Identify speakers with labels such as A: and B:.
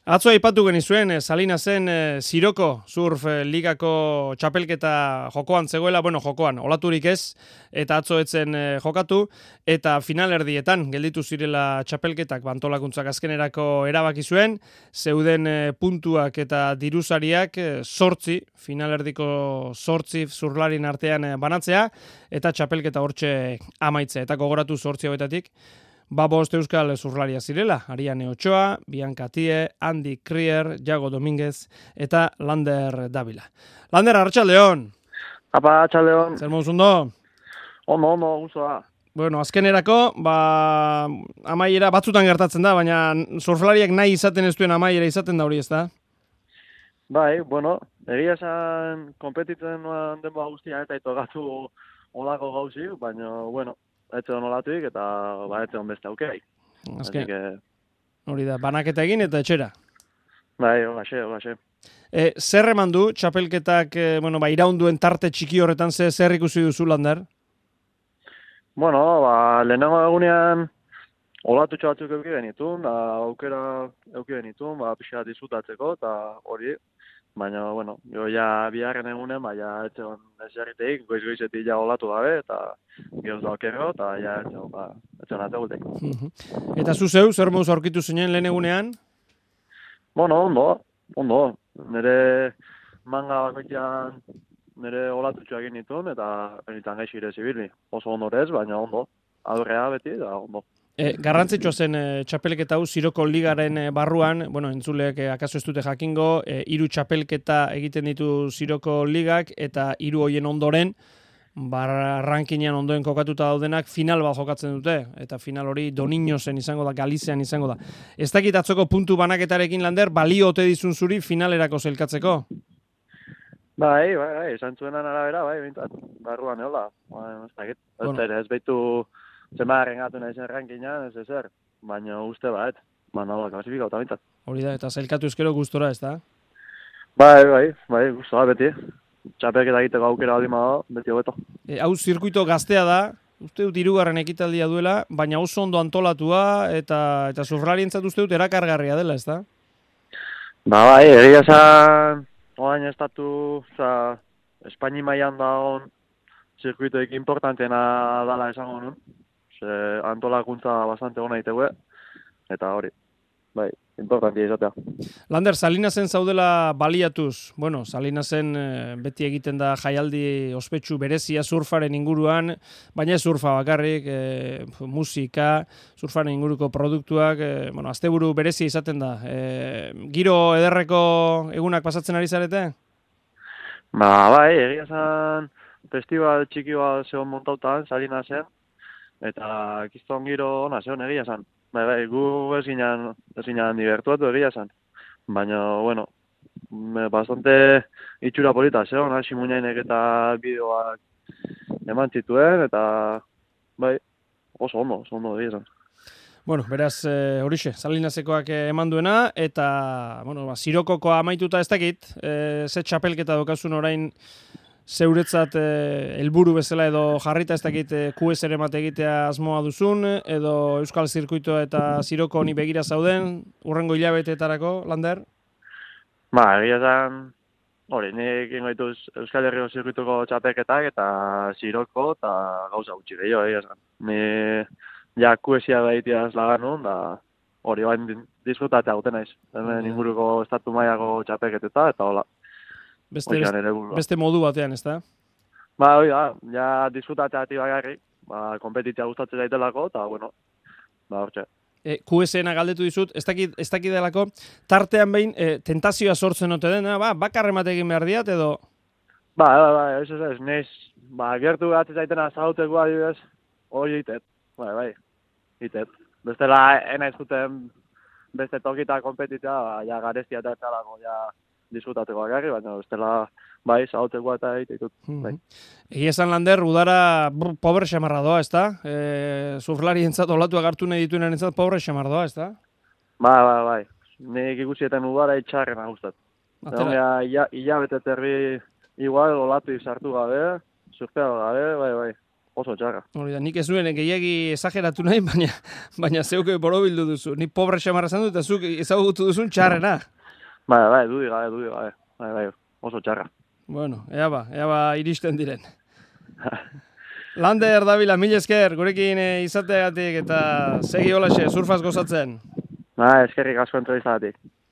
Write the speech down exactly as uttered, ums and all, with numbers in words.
A: Atzo aipatu genizuen, eh, Salinasen eh, Siroko surf eh, ligako txapelketa jokoan zegoela, bueno, jokoan, olaturik ez, eta atzo etzen eh, jokatu, eta finalerdietan gelditu zirela txapelketak bantolakuntzak azkenerako erabaki zuen, zeuden eh, puntuak eta dirusariak eh, sortzi, finalerdiko sortzi zurlarin artean eh, banatzea, eta txapelketa hortxe amaitzea, eta gogoratu sortzi hauetatik, Ba bost euskal zurlaria zirela, Ariane Ochoa, Bianca Tie, Andy Krier, Jago Dominguez eta Lander Davila. Lander, arratsaldeon.
B: Apa, arratsaldeon.
A: Zer moduz ondo?
B: Ondo, ondo, guzoa.
A: Bueno, azkenerako, ba, amaiera batzutan gertatzen da, baina surflariak nahi izaten ez duen amaiera izaten da hori, ez da?
B: Bai, bueno, egia esan konpetitzen noan denboa guztia eta itogatu olako gauzi, baina, bueno, etxe olatuik eta ba, etxe beste aukerai.
A: Azken,
B: que...
A: hori da, banaketa egin eta etxera.
B: Bai, hogaxe, hogaxe.
A: E, zer eman du, txapelketak, e, bueno, ba, iraunduen tarte txiki horretan ze, zer ikusi duzu, Lander?
B: Bueno, ba, lehenengo egunean olatutxo batzuk euki genitun, da aukera euki genitun, ba, pixka disfrutatzeko, eta hori, baina, bueno, jo ja biharren egunen, ba, ja etxeon eserriteik, goiz-goizetik ja olatu gabe, eta gehoz da okero, eta ja etxeon, ba, etxeon ategultek.
A: Eta zu zeu, zer moduz aurkitu zinen lehen egunean?
B: Bueno, ondo, ondo. Nire manga bakoitzean nire olatutxoak egin nituen, eta enitan gaixi ere zibili. Oso ondo ez, baina ondo. Adurrea beti, da ondo.
A: E, garrantzitsua zen e, txapelketa hau Siroko ligaren e, barruan, bueno, entzuleek e, akaso ez dute jakingo, e, hiru txapelketa egiten ditu Siroko ligak, eta hiru hoien ondoren, bar rankinean ondoen kokatuta daudenak final bat jokatzen dute, eta final hori Doniñosen izango da, Galizian izango da. Ez dakit atzoko puntu banaketarekin, Lander, balio ote dizun zuri finalerako zelkatzeko?
B: Bai, bai, bai, esan zuenan arabera, bai, bintzat, barruan eola. Bai, ez dakit, ez bueno. Ez behitu zemarren gatu nahi zen rankinean, ez ezer, baina uste bat, baina hola, klasifikauta bintzat.
A: Hori da, eta zelkatu ezkero gustora, ez da?
B: Bai, bai, bai, gustora beti. Txapelketa egiteko aukera baldin badago, beti hobeto.
A: E, hau zirkuito gaztea da, uste dut hirugarren ekitaldia duela, baina oso ondo antolatua eta eta surflarientzat uste dut erakargarria dela, ez da?
B: Ba bai, egia esan, orain estatu, oza, Espaini mailan dagoen zirkuitoik importantena dala esango nun. Ze antolakuntza bastante ona itegue, eta hori, bai, importantia izatea.
A: Lander, Salinasen zaudela baliatuz. Bueno, Salinasen e, beti egiten da jaialdi ospetsu berezia surfaren inguruan, baina ez surfa bakarrik, e, musika, surfaren inguruko produktuak, e, bueno, asteburu berezia izaten da. E, giro ederreko egunak pasatzen ari zarete?
B: Ba, bai, egia esan festival txiki bat zegoen montautan, Salinasen, eta kiston giro ona zegoen egia esan. Bai, bai, gu ez ginen, ez ginen divertuatu egia esan. Baina, bueno, bastante itxura polita zegoen, hasi muñainek eta bideoak eman zituen, eta bai, oso ondo, oso ondo egia esan.
A: Bueno, beraz, e, horixe, Salinasekoak eman duena, eta, bueno, ba, Sirokokoa amaituta ez dakit, e, ze txapelketa dokazun orain zeuretzat helburu bezala edo jarrita ez dakit Q S R mate egitea asmoa duzun, edo Euskal Zirkuitoa eta Siroko honi begira zauden, urrengo hilabeteetarako, Lander?
B: Ba, egia esan, hori, nik ingoituz Euskal Herriko Zirkuituko txapelketak eta Siroko eta gauza gutxi gehiago, egia esan. Ni ja Q S R behitiaz laganun, da hori bain disfrutatea guten naiz. Hemen inguruko estatu mailako txapelketeta eta hola.
A: Beste, beste, beste modu batean, ez da?
B: Ba, hori da, ja disfrutatzea ati bagarri, ba, kompetitzea gustatzen daitelako, eta, bueno, ba, hortxe.
A: E, Q S N galdetu dizut, ez dakit, ez dakit delako, tartean behin, e, tentazioa sortzen ote dena, ba, bakar emate egin behar diat, edo?
B: Ba, ba, ba, ez ez ez, neiz, ba, gertu gatzen zaitena zauteko adibidez, hori itet, bai, bai, itet. Bestela, ena izkuten beste tokita kompetitzea, ba, ja gareztia eta etzalako, ja, disfrutateko agarri, baina bestela bai, zauteko eta egiteko. Bai.
A: Egia esan, Lander, udara brr, pobre xamarra doa, ez da? E, surflari entzat olatu agartu nahi dituen entzat pobre xamarra doa, ez da?
B: Ba, ba, bai. Nik ikusietan udara itxarrena gustat. Eta hilabete terri igual olatu izartu gabe, surfeago gabe, bai, bai. oso txarra.
A: Hori da, nik ez nuen gehiagi esageratu nahi, baina, baina zeuke borobildu duzu. Ni pobre xamarra zan dut, eta zuk ezagutu duzun txarrena.
B: Bai, bai, dudi gabe, dudi gabe. Bai, bai, oso txarra.
A: Bueno, ea ba, ea ba iristen diren. Lander, Davila, mil esker, gurekin izateagatik eta segi holaxe, surfaz gozatzen.
B: Ba, eskerrik asko entrevistagatik.